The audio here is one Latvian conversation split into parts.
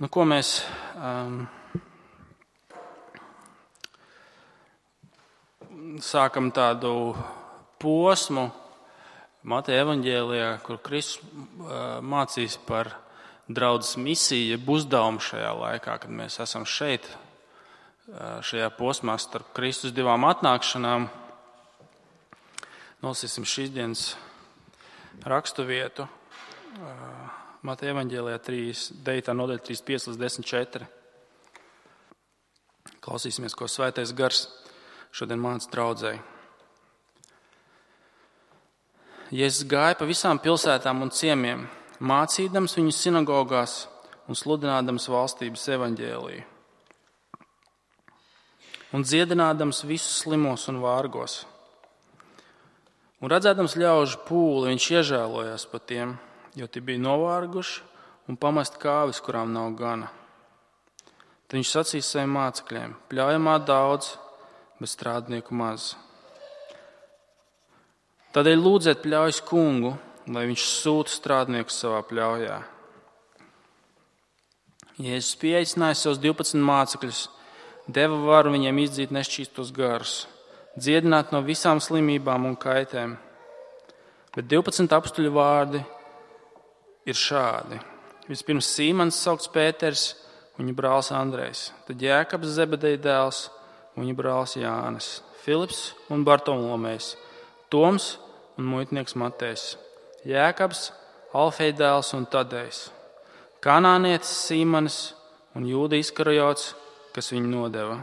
Ko mēs sākam tādu posmu Mateja evaņģēlijā, kur Kristus mācīs par draudzes misiju, jeb uzdevumu šajā laikā, kad mēs esam šeit, šajā posmā starp Kristus divām atnākšanām. Nolasīsim šīs dienas raksturvietu. Mateja evaņģēlijā 9. nodaļa 35 līdz 10:4. Klausīsimies, ko Svētais Gars šodien māca draudzei. Jēzus gāja pa visām pilsētām un ciemiem, mācīdams viņus sinagogās un sludinādams valstības evaņģēliju. Un dziedinādams visus slimos un vārgos. Un redzēdams ļaužu pūli, viņš iežēlojās par tiem, jo tie bija novārguši un pamest kāvis, kurām nav gana. Tad viņš sacīja saviem mācekļiem: pļaujamā daudz, bet strādnieku maz. Tādēļ lūdziet pļaujas kungu, lai viņš sūta strādniekus savā pļaujā. Jēzus pieaicināja savus 12 mācekļus, deva varu viņiem izdzīt nešķīstos garus, dziedināt no visām slimībām un kaitēm. Bet 12 apstuļu vārdi ir šādi. Vispirms Sīmans saukts Pēters, viņa brālis Andrejs, tad Jēkabs Zebedeja dēls, viņa brālis Jānis, Filips un Bartolomejs, Toms un muitnieks Matejs, Jēkabs, Alfeja dēls un Tadejs, kanānietis Sīmanis un Jūda Iskarijots, kas viņu nodeva.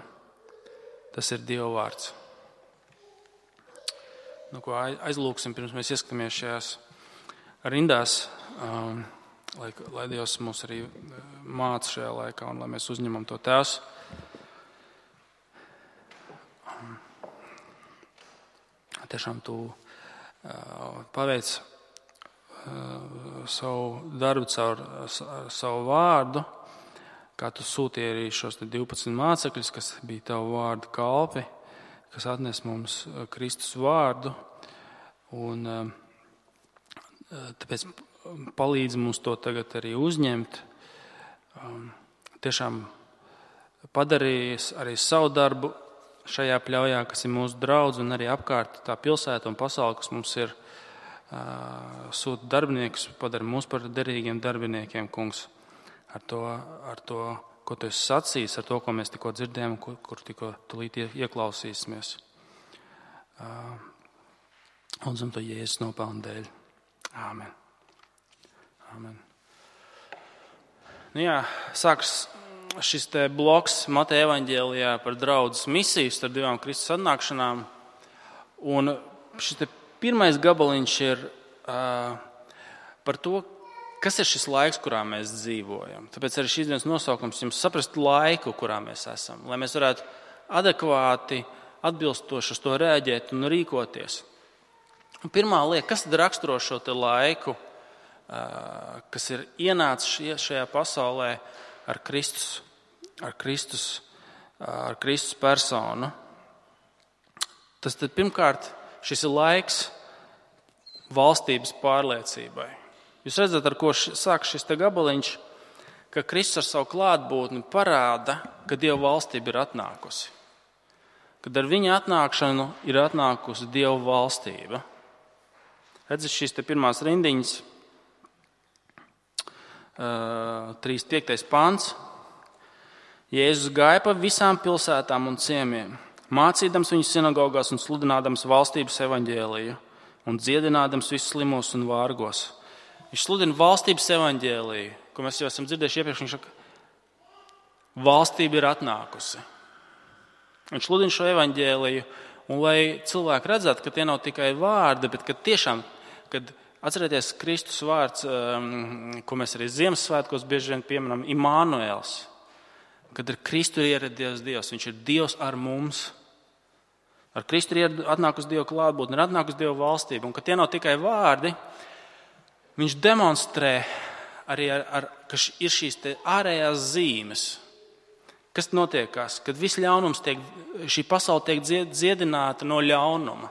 Tas ir Dieva vārds. Ko aizlūksim, pirms mēs ieskatāmies šajās rindās, lai Dievs mūs arī māca šajā laikā un lai mēs uzņemam to Tēvs. Tiešām tu paveic savu darbu caur savu vārdu, kā tu sūtīji arī šos 12 mācekļus, kas bija tavu vārdu kalpi, kas atnes mums Kristus vārdu. Un tāpēc palīdz mums to tagad arī uzņemt. Tiešām padarījis arī savu darbu šajā pļaujā, kas ir mūsu draudz, un arī apkārt tā pilsēta un pasaule, kas mums ir, sūta darbiniekus, padara mūs par derīgiem darbiniekiem, kungs, ar to, ko tu esi sacījis, ar to, ko mēs tikko dzirdējām, kur tikko tulīt ieklausīsimies. Lūdzam to Jēzus nopelnu dēļ. Āmen. Āmen. Sāks šis te bloks Mateja evaņģēlijā par draudzes misiju starp divām Kristus atnākšanām. Un šis te pirmais gabaliņš ir par to, kas ir šis laiks, kurā mēs dzīvojam. Tāpēc arī šīs dienas nosaukums jums saprast laiku, kurā mēs esam, lai mēs varētu adekvāti, atbilstoši uz to rēģēt un rīkoties. Un pirmā lieta, kas tad raksturo šo te laiku, kas ir ienācis šajā pasaulē ar Kristus personu. Tas tad pirmkārt, šis ir laiks valstības pārliecībai. Jūs redzat, ar ko sāk šis te gabaliņš, ka Kristus ar savu klātbūtni parāda, ka Dieva valstība ir atnākusi. Kad ar viņa atnākšanu ir atnākusi Dieva valstība. Redzat šīs te pirmās rindiņas, 35. pants. Jēzus gāja pa visām pilsētām un ciemiem, mācīdams viņus sinagogās un sludinādams valstības evaņģēliju un dziedinādams visus slimos un vārgos. Viņš sludina valstības evaņģēliju, ko mēs jau esam dzirdējuši iepriekš. Viņš saka, valstība ir atnākusi. Viņš sludina šo evaņģēliju, un lai cilvēki redzētu, ka tie nav tikai vārdi, bet ka tiešām, kad atcerieties Kristus vārds, ko mēs arī Ziemassvētkos bieži vien pieminam, Imānuēls. Kad ar Kristu ir ieradies Dievs, viņš ir Dievs ar mums. Ar Kristu ir atnākusi Dieva klātbūtne, ir atnākusi Dieva valstība. Un ka tie nav tikai vārdi, viņš demonstrē arī, ka ir šīs te ārējās zīmes. Kas notiekās? Kad viss ļaunums šī pasaule tiek dziedināta no ļaunuma.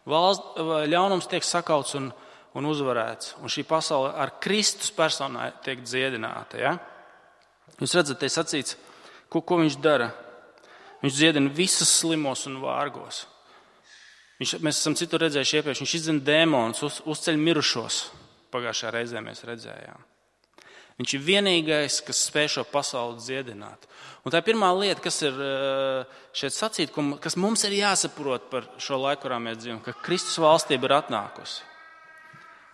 Ļaunums tiek sakauts un uzvarēts. Un šī pasaule ar Kristus personā tiek dziedināta. Ja? Jūs redzat, te sacīts, ko viņš dara. Viņš dziedina visus slimos un vārgos. Mēs esam citur redzējuši iepriekš, viņš izdzen dēmonus, uzceļ mirušos. Pagājušā reizē mēs redzējām. Viņš ir vienīgais, kas spēj šo pasauli dziedināt. Un tā ir pirmā lieta, kas ir šeit sacīt, kas mums ir jāsaprot par šo laiku, kurā mēs dzīvojam, ka Kristus valstība ir atnākusi.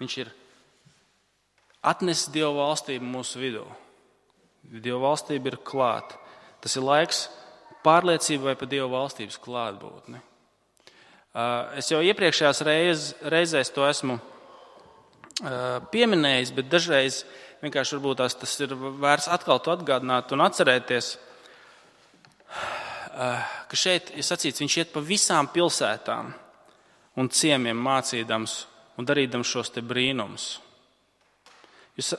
Viņš ir atnesis Dieva valstību mūsu vidū. Dieva valstība ir klāta. Tas ir laiks pārliecībai par Dieva valstības klātbūtni. Es jau iepriekšējās reizēs to esmu pieminējis, bet dažreiz vienkārši varbūt tas ir vērts atkal to atgādināt un atcerēties, ka šeit ir sacīts, viņš iet pa visām pilsētām un ciemiem mācīdams un darīdams šos te brīnumus. Es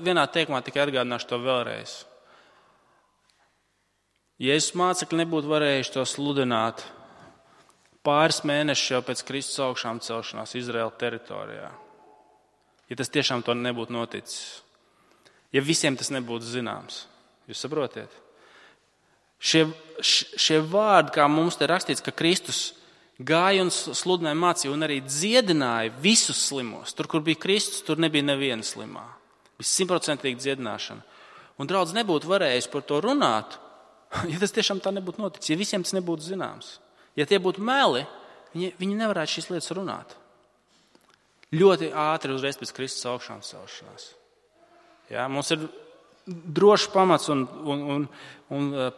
vienā teikumā tikai atgādināšu to vēlreiz. Jēzus mācekļi nebūtu varējuši to sludināt pāris mēnešus jau pēc Kristus augšām celšanās Izraēla teritorijā. Ja tas tiešām to nebūtu noticis. Ja visiem tas nebūtu zināms. Jūs saprotiet? Šie vārdi, kā mums te rakstīts, ka Kristus gāja un sludināja, mācīja un arī dziedināja visus slimos. Tur, kur bija Kristus, tur nebija neviena slimā. Bija 100% dziedināšana. Un draudz nebūtu varējis par to runāt, ja tas tiešām tā nebūtu noticis. Ja visiem tas nebūtu zināms. Ja tie būtu meli, viņi nevarētu šīs lietas runāt. Ļoti ātri uzreiz pēc Kristus augšām celšanās. Ja, mums ir drošs pamats un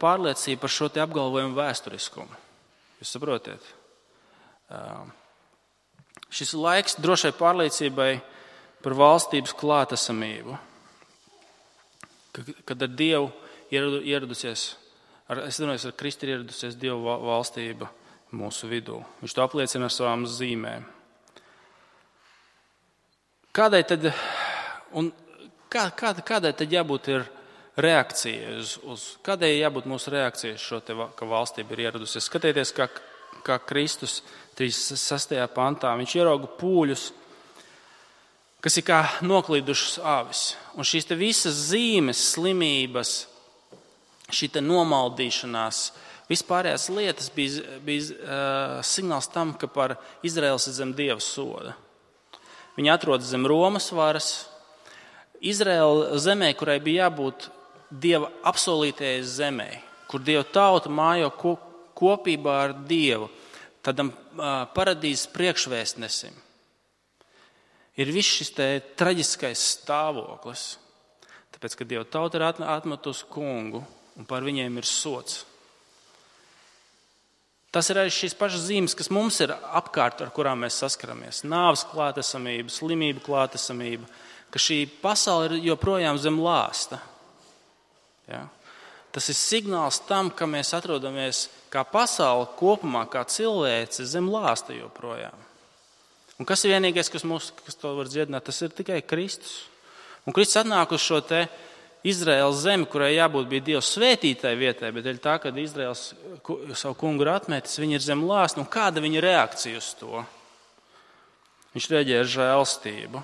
pārliecība par šo te apgalvojumu vēsturiskumu. Jūs saprotiet? Šis ir laiks drošai pārliecībai par valstības klātesamību. Kad ar Dievu ieradusies, es domāju, ar Kristu ir ieradusies Dieva valstība mūsu vidū. Viņš to apliecina ar savām zīmēm. Kādai tad jābūt ir reakcija kādai jābūt mūsu reakcijai šo te, ka valstība ir ieradusies? Skatieties, kā Kristus 36. pantā, viņš ierauga pūļus, kas ir kā noklīdušas avis. Un šīs te visas zīmes, slimības, šī te nomaldīšanās, vispārējās lietas bija signāls tam, ka par Izraels ir zem Dieva soda. Viņi atrodas zem Romas varas. Izraela zemē, kurai bija jābūt Dieva apsolītajai zemē, kur Dieva tauta mājo kopībā ar Dievu, tādam paradīzes priekšvēstnesim. Ir viss šis te traģiskais stāvoklis, tāpēc, ka Dieva tauta ir atmetusi kungu un par viņiem ir sods. Tas ir arī šīs pašas zīmes, kas mums ir apkārt, ar kurām mēs saskaramies. Nāves klātesamība, slimību klātesamība, ka šī pasaule ir joprojām zem lāsta. Ja? Tas ir signāls tam, ka mēs atrodamies kā pasaule kopumā, kā cilvēce zem lāsta joprojām. Un kas ir vienīgais, kas to var dziedināt, tas ir tikai Kristus. Un Kristus atnāk uz šo te Izraēlas zemi, kurai jābūt bija Dieva svētītai vietai, bet dēļ tā, kad Izraēls savu kungu ir atmetis, viņi ir zem lāsta. Un kāda viņa reakcija uz to? Viņš reaģē ar žēlstību.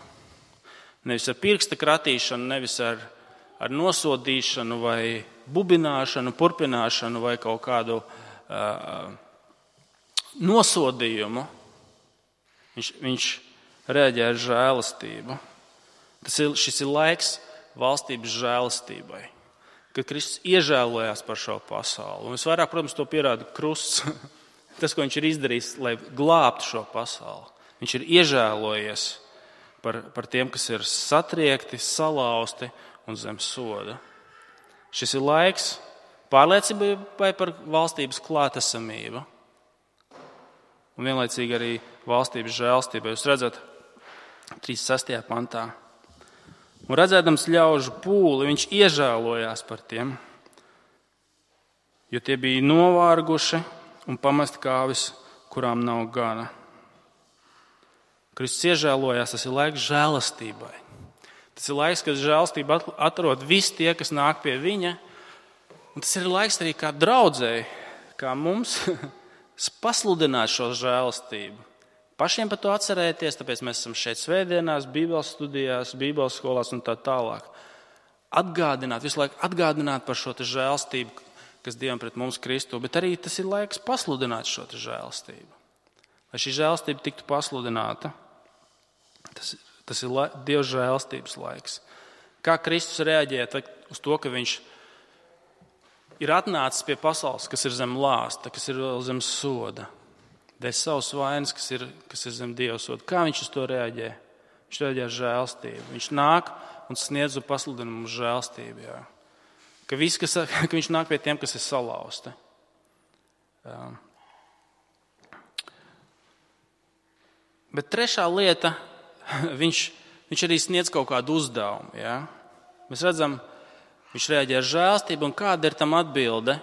Nevis ar pirksta kratīšanu, nevis ar nosodīšanu vai bubināšanu, purpināšanu vai kaut kādu nosodījumu. Viņš reaģē ar žēlastību. Šis ir laiks valstības žēlastībai, kad Kristus iežēlojās par šo pasauli. Un visvairāk, protams, to pierāda krusts, tas, ko viņš ir izdarījis, lai glābtu šo pasauli. Viņš ir iežēlojies par tiem, kas ir satriekti, salauzti un zem soda. Šis ir laiks pārliecībai par valstības klātesamību un vienlaicīgi arī valstības žēlastībai. Jūs redzat, 36. pantā. Un redzēdams ļaužu pūli, viņš iežēlojās par tiem, jo tie bija novārguši un pamest kāvis, kurām nav gana. Kristus iežēlojās, tas ir laiks žēlastībai. Tas ir laiks, kad žēlastība atrod visi tie, kas nāk pie viņa. Un tas ir laiks arī kā draudzēji, kā mums pasludināt šo žēlastību. Pašiem par to atcerēties, tāpēc mēs esam šeit svētdienās, bībeles studijās, bībeles skolās un tā tālāk. visu laiku atgādināt par šo žēlstību, kas Dievam pret mums Kristu, bet arī tas ir laiks pasludināt šo žēlstību. Lai šī žēlstība tiktu pasludināta, tas ir Dieva žēlstības laiks. Kā Kristus reaģēja uz to, ka viņš ir atnācis pie pasaules, kas ir zem lāsta, kas ir vēl zem soda, dēļ savas vainas, kas ir zem Dieva soda. Kā viņš uz to reaģē? Viņš reaģē ar žēlstību. Viņš nāk un sniedz un pasludina mums žēlstību. Jā. Ka viņš nāk pie tiem, kas ir salauzti. Bet trešā lieta, viņš arī sniedz kaut kādu uzdevumu. Jā. Mēs redzam, viņš reaģē ar žēlstību, un kāda ir tam atbilde?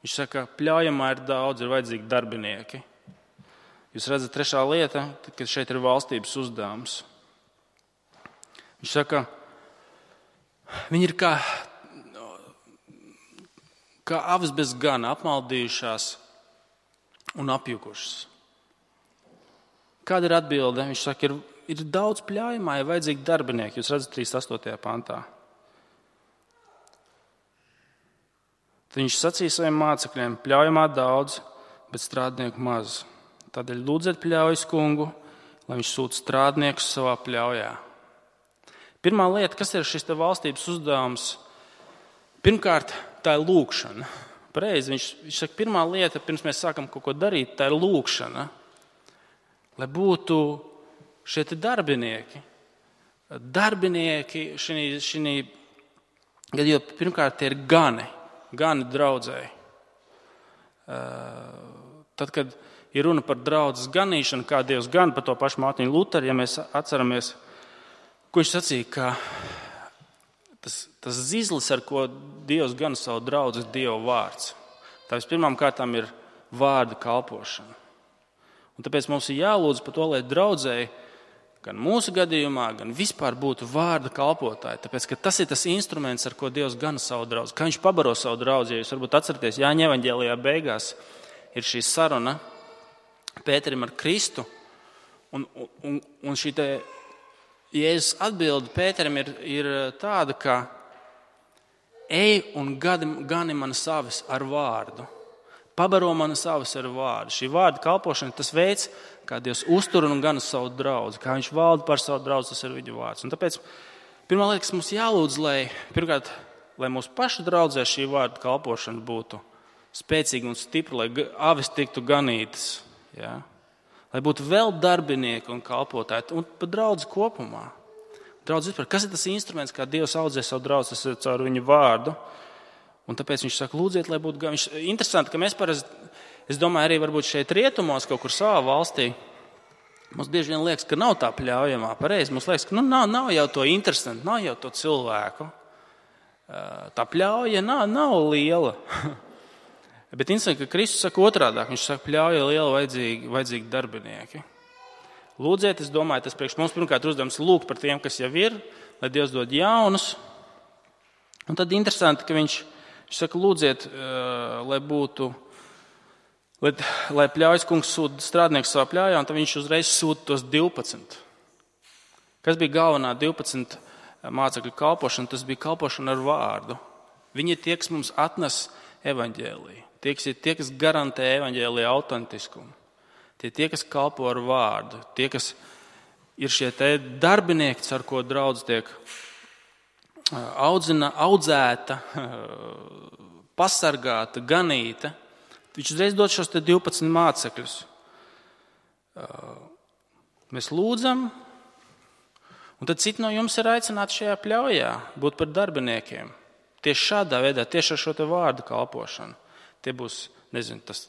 Viņš saka, pļaujamā ir daudz, ir vajadzīgi darbinieki. Jūs redzat, trešā lieta, kad šeit ir valstības uzdevums. Viņš saka, viņi ir kā avis bez gana, apmaldījušās un apjukušas. Kāda ir atbilde? Viņš saka, ir daudz pļaujamā, ir vajadzīgi darbinieki. Jūs redzat 38. pantā. Tad viņš sacīja saviem mācekļiem, pļaujamā daudz, bet strādnieku maz. Tādēļ lūdziet pļaujas kungu, lai viņš sūta strādniekus savā pļaujā. Pirmā lieta, kas ir šis valstības uzdevums? Pirmkārt, tā ir lūkšana. Pareizi, viņš saka, pirmā lieta, pirms mēs sākam kaut ko darīt, tā ir lūkšana. Lai būtu šie darbinieki. Darbinieki šī jo pirmkārt tie ir gani draudzēji. Tad, kad ir runa par draudzes ganīšanu, kā Dievs gan par to pašu Mārtiņu Luteru, ja mēs atceramies, ko viņš sacīja, ka tas zizlis, ar ko Dievs gan savu draudzi, ir Dieva vārds. Tā vispirmām kārtām ir vārda kalpošana. Un tāpēc mums ir jālūdz par to, lai draudzēji gan mūsu gadījumā, gan vispār būtu vārda kalpotāji. Tāpēc, ka tas ir tas instruments, ar ko Dievs gan savu draudzi. Kā viņš pabaro savu draudzi, ja jūs varbūt atceraties, Jāņa evaņģēlijā beigās ir šī saruna Pēterim ar Kristu, un šī Jēzus atbilde Pēterim ir tāda, ka ej un gani manas avis ar vārdu. Pabaro manas avis ar vārdu. Šī vārda kalpošana ir tas veids, kā Dievs uztur un gana savu draudzi, kā viņš valda par savu draudzi, tas ir viņa vārds. Un tāpēc pirmā lieta, kas mums jālūdz, lai mūsu pašu draudzē šī vārda kalpošana būtu spēcīga un stipra, lai avis tiktu ganītas. Ja? Lai būtu vēl darbinieki un kalpotāji, un pat draudzi kopumā. Draudzi vispār, kas ir tas instruments, kā Dievs audzē savu draudzi, tas ir caur viņu vārdu. Un tāpēc viņš saka, lūdziet, lai būtu gan. Interesanti, ka mēs parasti, es domāju, arī varbūt šeit rietumos, kaut kur savā valstī, mums bieži vien liekas, ka nav tā pļaujamā. Pareizi, mums liekas, ka nav jau to interesanti, nav jau to cilvēku. Tā pļauja nav liela. Bet interesanti, ka Kristus saka otrādāk. Viņš saka, pļauja liela, vajadzīgi darbinieki. Lūdziet, es domāju, tas priekš mums pirmkārt uzdevums lūgt par tiem, kas jau ir, lai Dievs dod jaunus. Un tad interesanti, ka viņš saka, lūdziet, lai pļaujas kungs sūta strādnieku savā pļaujā, un tad viņš uzreiz sūta tos 12. Kas bija galvenā 12 mācekļu kalpošana? Tas bija kalpošana ar vārdu. Viņi ir tie, kas mums atnes evaņģēliju. Tie, kas garantē evaņģēlija autentiskumu. Tie, kas kalpo ar vārdu. Tie, kas ir šie darbinieki, ar ko draudz tiek audzēta, pasargāta, ganīta. Viņš uzreiz dod šos 12 mācekļus. Mēs lūdzam, un tad citi no jums ir aicināti šajā pļaujā būt par darbiniekiem. Tieši šādā veidā, tieši ar šo vārdu kalpošanu. Tie būs, nezinu, tas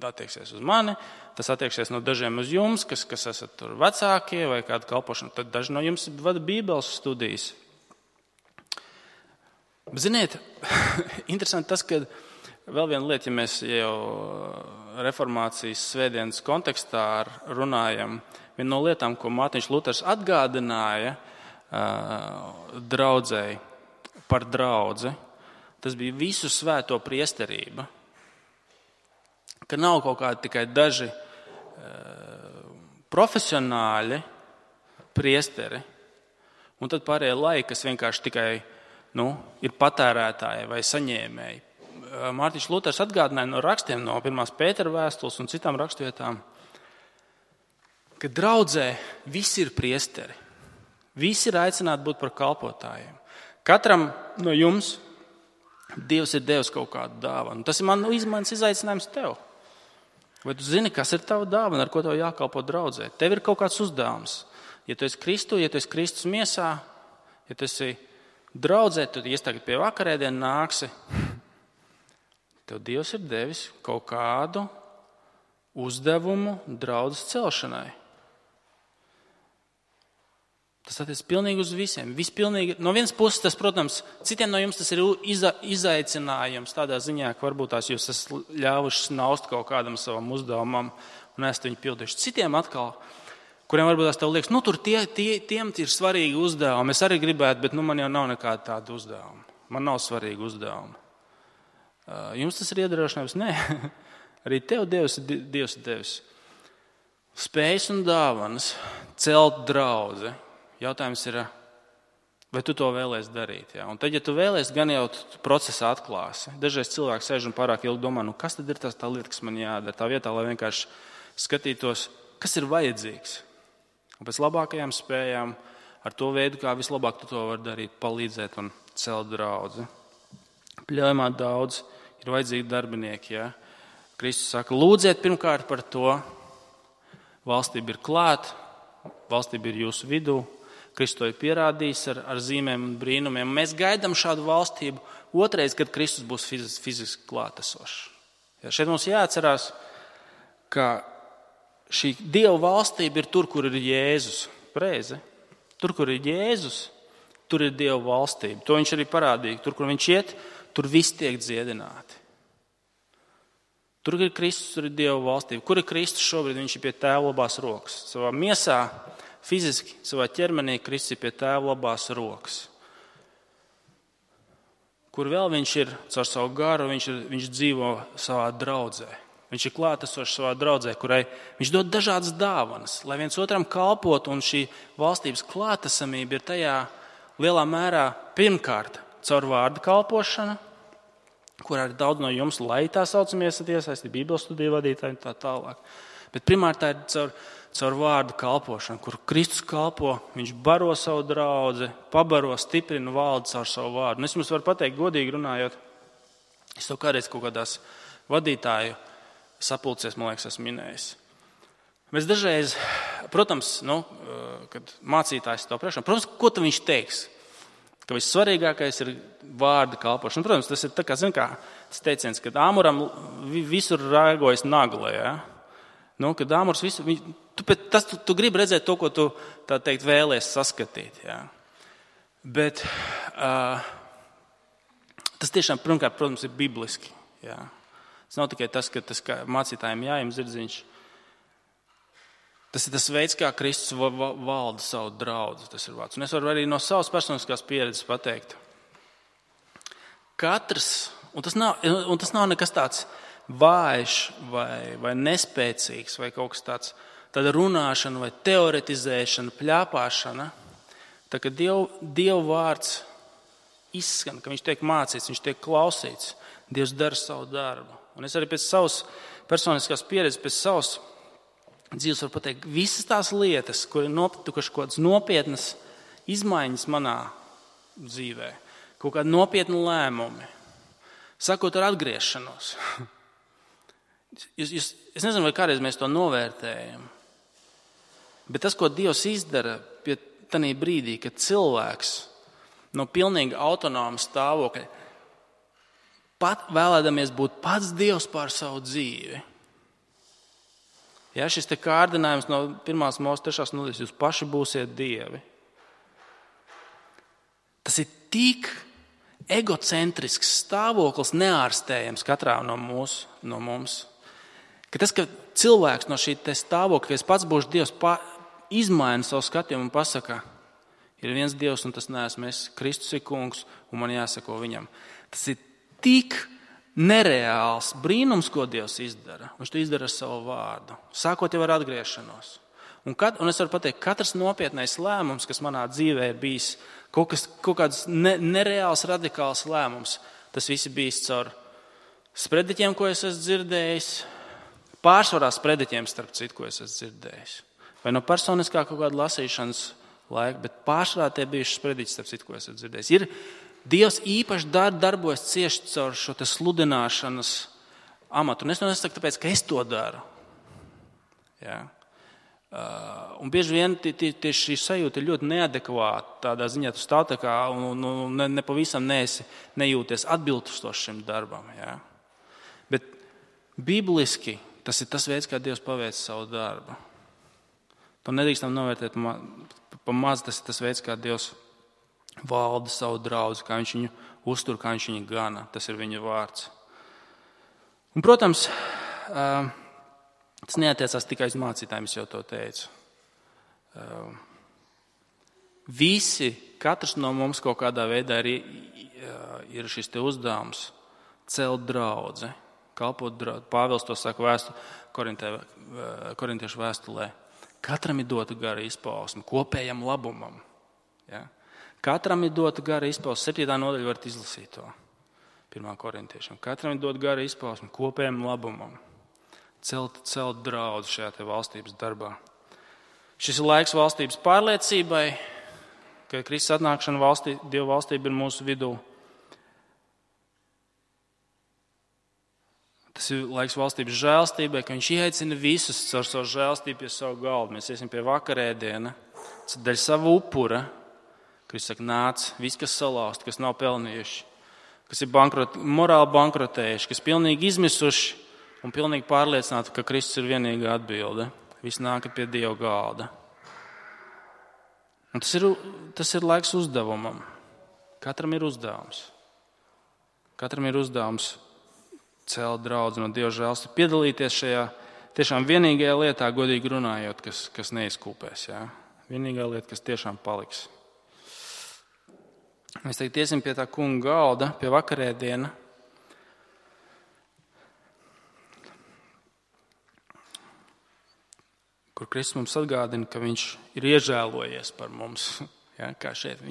attieksies uz mani, tas attieksies no dažiem uz jums, kas esat tur vecākie vai kāda kalpošana. Tad daži no jums vada Bībeles studijas. Ziniet, interesanti tas, ka vēl viena lieta, ja mēs jau reformācijas svētdienas kontekstā runājam, viena no lietām, ko Mārtiņš Luters atgādināja draudzēji par draudzi, tas bija visu svēto priesterība. Ka nav kaut kādi tikai daži profesionāļi priesteri Un tad pārējie laiki, kas vienkārši tikai ir patērētāji vai saņēmēji. Mārtiņš Luters atgādināja no rakstiem, no 1. Pētera vēstules un citām rakstvietām, ka draudzē visi ir priesteri. Visi ir aicināti būt par kalpotājiem. Katram no jums Dievs ir devis kaut kādu dāvanu. Tas ir mans izaicinājums tev. Vai tu zini, kas ir tava dāvana, ar ko tev jākalpo draudzē? Tev ir kaut kāds uzdevums. Ja tu esi Kristus miesā, ja tu esi draudzē, tu tagad pie vakarēdienu nāksi, tev Dievs ir devis kaut kādu uzdevumu draudzes celšanai. Tas attiecas pilnīgi uz visiem. No vienas puses, tas, protams, citiem no jums tas ir izaicinājums tādā ziņā, ka varbūt tās jūs esat ļāvuši snaust kaut kādam savam uzdevumam un esat viņu pildījuši. Citiem atkal, kuriem varbūt tās tev liekas, tur tiem ir svarīgi uzdevumi. Es arī gribētu, bet man jau nav nekāda tāda uzdevuma. Man nav svarīgi uzdevumi. Jums tas ir iedrošinājums? Nē. Arī tev Dievs ir devis spējas un dāvanas celt draudzi. Jautājums ir, vai tu to vēlies darīt? Jā? Un tad, ja tu vēlies, gan jau tu procesā atklāsi. Dažreiz cilvēks sēž un pārāk ilgi domā, kas tad ir tā lieta, kas man jādara. Tā vietā, lai vienkārši skatītos, kas ir vajadzīgs. Un pēc labākajām spējām, ar to veidu, kā vislabāk tu to vari darīt, palīdzēt un celt draudzi. Pļaujamā daudz ir vajadzīgi darbinieki. Jā? Kristus saka, lūdziet pirmkārt par to. Valstība ir klāt, valstība ir jūsu vidū. Kristus to ir pierādījis ar zīmēm un brīnumiem. Mēs gaidām šādu valstību otrais, kad Kristus būs fiziski klātesošs. Ja šeit mums jāatcerās, ka šī Dieva valstība ir tur, kur ir Jēzus. Pareizi? Tur, kur ir Jēzus, tur ir Dieva valstība. To viņš arī parādīja. Tur, kur viņš iet, tur viss tiek dziedināti. Tur ir Kristus, tur ir Dieva valstība. Kur ir Kristus šobrīd? Viņš ir pie Tēva labās rokas. Savā miesā, fiziski, savā ķermenī Kristus ir pie Tēva labās rokas. Kur vēl viņš ir caur savu garu, viņš dzīvo savā draudzē. Viņš ir klātesošs savā draudzē, kurai viņš dod dažādas dāvanas, lai viens otram kalpotu, un šī valstības klātesamība ir tajā lielā mērā pirmkārt caur vārdu kalpošanu, kurā ir daudz no jums, lai tā saucamie esat iesaistīti, Bībeles studiju vadītāji un tā tālāk. Bet primāri tā ir caur vārdu kalpošanu, kur Kristus kalpo, viņš baro savu draudzi, pabaro, stiprina valdi caur savu vārdu. Un es jums varu pateikt, godīgi runājot, es to kādreiz kaut kādās vadītāju sapulcēs, man liekas, esmu minējis. Mēs dažreiz, protams, kad mācītājs to priekšā, protams, ko tad viņš teiks? Ka vissvarīgākais ir vārda kalpošana. Protams, tas ir tā kā, tas teiciens, kad āmuram visur raigojas nagla, ja? Kad āmurs visu, tu gribi redzēt to, ko tu, tā teikt, vēlies saskatīt, ja? Bet tas tiešām, pirmkārt, protams, ir bibliski, ja? Tas nav tikai tas, ka tas kā mācītājiem jājam zirdziņš. Tas ir tas veids, kā Kristus valda savu draudzi. Tas ir vārds. Un es varu arī no savas personiskās pieredzes pateikt. Katrs, un tas nav nekas tāds vājš vai nespēcīgs vai kaut kas tāds, tāda runāšana vai teoretizēšana, pļāpāšana. Tā kā Dieva vārds izskan, ka viņš tiek mācīts, viņš tiek klausīts, Dievs dara savu darbu. Un es arī pēc savas personiskās pieredzes, pēc savas dzīves varu pateikt, visas tās lietas, kur ir notikušas kaut kādas nopietnas izmaiņas manā dzīvē, kaut kādi nopietni lēmumi, sakot ar atgriešanos. Es nezinu, vai kādreiz mēs to novērtējam, bet tas, ko Dievs izdara pie tanī brīdī, kad cilvēks no pilnīgi autonoma stāvokļa pat vēlēdamies būt pats Dievs pār savu dzīvi. Ja, šis te kārdinājums no 1. Mūzes 3. nodaļas, jūs paši būsiet dievi. Tas ir tik egocentrisks stāvoklis, neārstējams katrā no mums, ka tas, ka cilvēks no šī te stāvokļa, ka es pats būšu Dievs, izmaina savu skatījumu un pasaka, ir viens Dievs un tas neesmu es, Kristus ir kungs un man jāsako viņam. Tas ir tik nereāls brīnums, ko Dievs izdara. Viņš to izdara ar savu vārdu. Sākot jau ar atgriešanos. Un es varu pateikt, katrs nopietnais lēmums, kas manā dzīvē ir bijis, kaut kāds nereāls, radikāls lēmums, tas viss ir bijis caur sprediķiem, ko es esmu dzirdējis, pārsvarā sprediķiem, starp citu, ko es esmu dzirdējis. Vai no personiskā kaut kāda lasīšanas laika, bet pārsvarā tie bijuši sprediķi, starp citu, ko es esmu dzirdējis. Dievs īpaši darbojas cieši caur šo te sludināšanas amatu. Un es to nesaku tāpēc, ka es to daru. Ja? Un bieži vien tieši šī sajūta ir ļoti neadekvāta. Tādā ziņā tu stāv tā kā un nepavisam nejūties atbilstoši šim darbam. Ja? Bet bibliski tas ir tas veids, kā Dievs paveic savu darbu. To nedrīkstam novērtēt pa maz. Tas ir tas veids, kā Dievs valda savu draudzi, kā viņš viņu uztur, kā viņš viņu gana. Tas ir viņa vārds. Un, protams, tas neatiecās tikai uz mācītājiem, es jau to teicu. Katrs no mums kaut kādā veidā ir šis te uzdevums celt draudzi, kalpot draudzi. Pāvils to saka korintiešu vēstulē. Katram ir dota gara izpausme kopējam labumam. Ja? Katram ir dota gara izpausme. 7. nodaļa varat izlasīt to. 1. korintiešiem. Katram ir dota gara izpausme kopējam labumam. Celt draudzi šajā te valstības darbā. Šis ir laiks valstības pārliecībai, ka Kristus atnākšana Dieva valstība ir mūsu vidū. Tas ir laiks valstības žēlstībai, ka viņš ieaicina visus caur savu žēlstību pie savu galdu. Mēs iesim pie vakarēdiena, dēļ savu upura. Kristus saka, nāc, viss, kas salauzt, kas nav pelnījuši, kas ir morāli bankrotējuši, kas pilnīgi izmisuši un pilnīgi pārliecināti, ka Kristus ir vienīgā atbilde. Viss nāk pie Dieva galda. Un tas ir laiks uzdevumam. Katram ir uzdevums. Katram ir uzdevums celt draudzi no Dieva žēlstību, piedalīties šajā tiešām vienīgajā lietā, godīgi runājot, kas neizkūpēs. Ja? Vienīgā lieta, kas tiešām paliks. Mēs tagad iesim pie tā kunga galda, pie vakarēdiena. Kur Kristus mums atgādina, ka viņš ir iežēlojies par mums. Ja, kā šeit.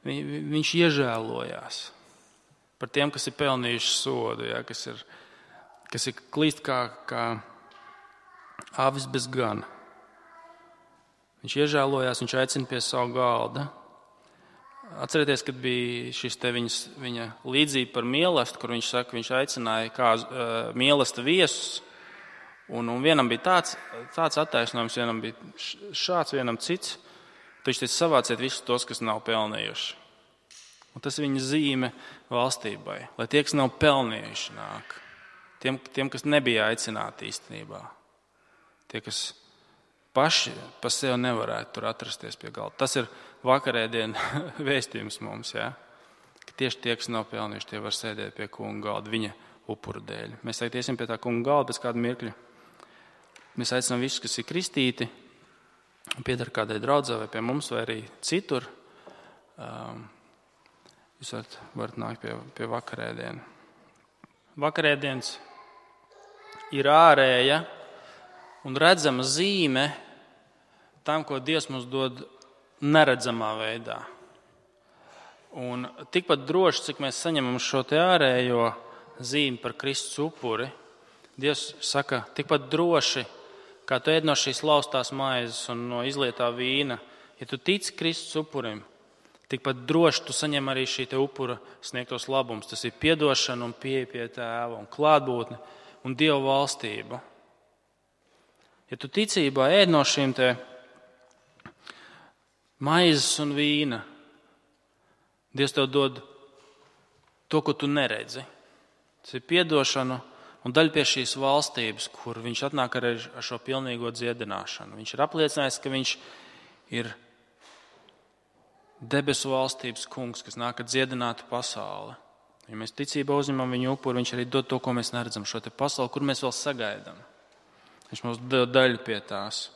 Viņš iežēlojās par tiem, kas ir pelnījuši sodu, ja, kas ir klīst kā avis bez gana. Viņš iežēlojās, viņš aicina pie savu galda. Atcerieties, kad bija šis te viņa līdzība par mielastu, kur viņš saka, viņš aicināja kā mielasta viesus. Un vienam bija tāds attaisnojums, vienam bija šāds, vienam cits. Viņš teica, savāciet visus tos, kas nav pelnījuši. Un tas ir viņa zīme valstībai, lai tie, kas nav pelnījuši, nāk. Tiem, kas nebija aicināti īstenībā. Tie, kas paši pa sevi nevarētu tur atrasties pie galda. Tas ir vakarēdiena vēstījums mums, ja? Ka tieši tie, kas nav pelnījuši, tie var sēdēt pie kunga galda viņa upura dēļ. Mēs tagad iesim pie tā kunga galda pēc kāda mirkļa. Mēs aicinām visus, kas ir kristīti, piedar kādai draudzē vai pie mums vai arī citur. Jūs varat nākt pie vakarēdiena. Vakarēdiens ir ārēja un redzama zīme tam, ko Dievs mums dod neredzamā veidā. Un tikpat droši, cik mēs saņemam šo te ārējo zīmi par Kristus upuri, Dievs saka, tikpat droši, kā tu ēd no šīs laustās maizes un no izlietā vīna, ja tu tici Kristus upurim, tikpat droši tu saņem arī šī te upura sniegtos labums. Tas ir piedošana un pieeja pie Tēva un klātbūtne un Dieva valstība. Ja tu ticībā ēd no šīm te maizes un vīna, Dievs tev dod to, ko tu neredzi. Tas ir piedošana un daļa pie šīs valstības, kur viņš atnāk ar šo pilnīgo dziedināšanu. Viņš ir apliecinājis, ka viņš ir debesu valstības kungs, kas nāk ar dziedinātu pasauli. Ja mēs ticībā uzņemam viņu upuru, viņš arī dod to, ko mēs neredzam, šo te pasauli, kur mēs vēl sagaidām. Viņš mums dod daļu pie tās.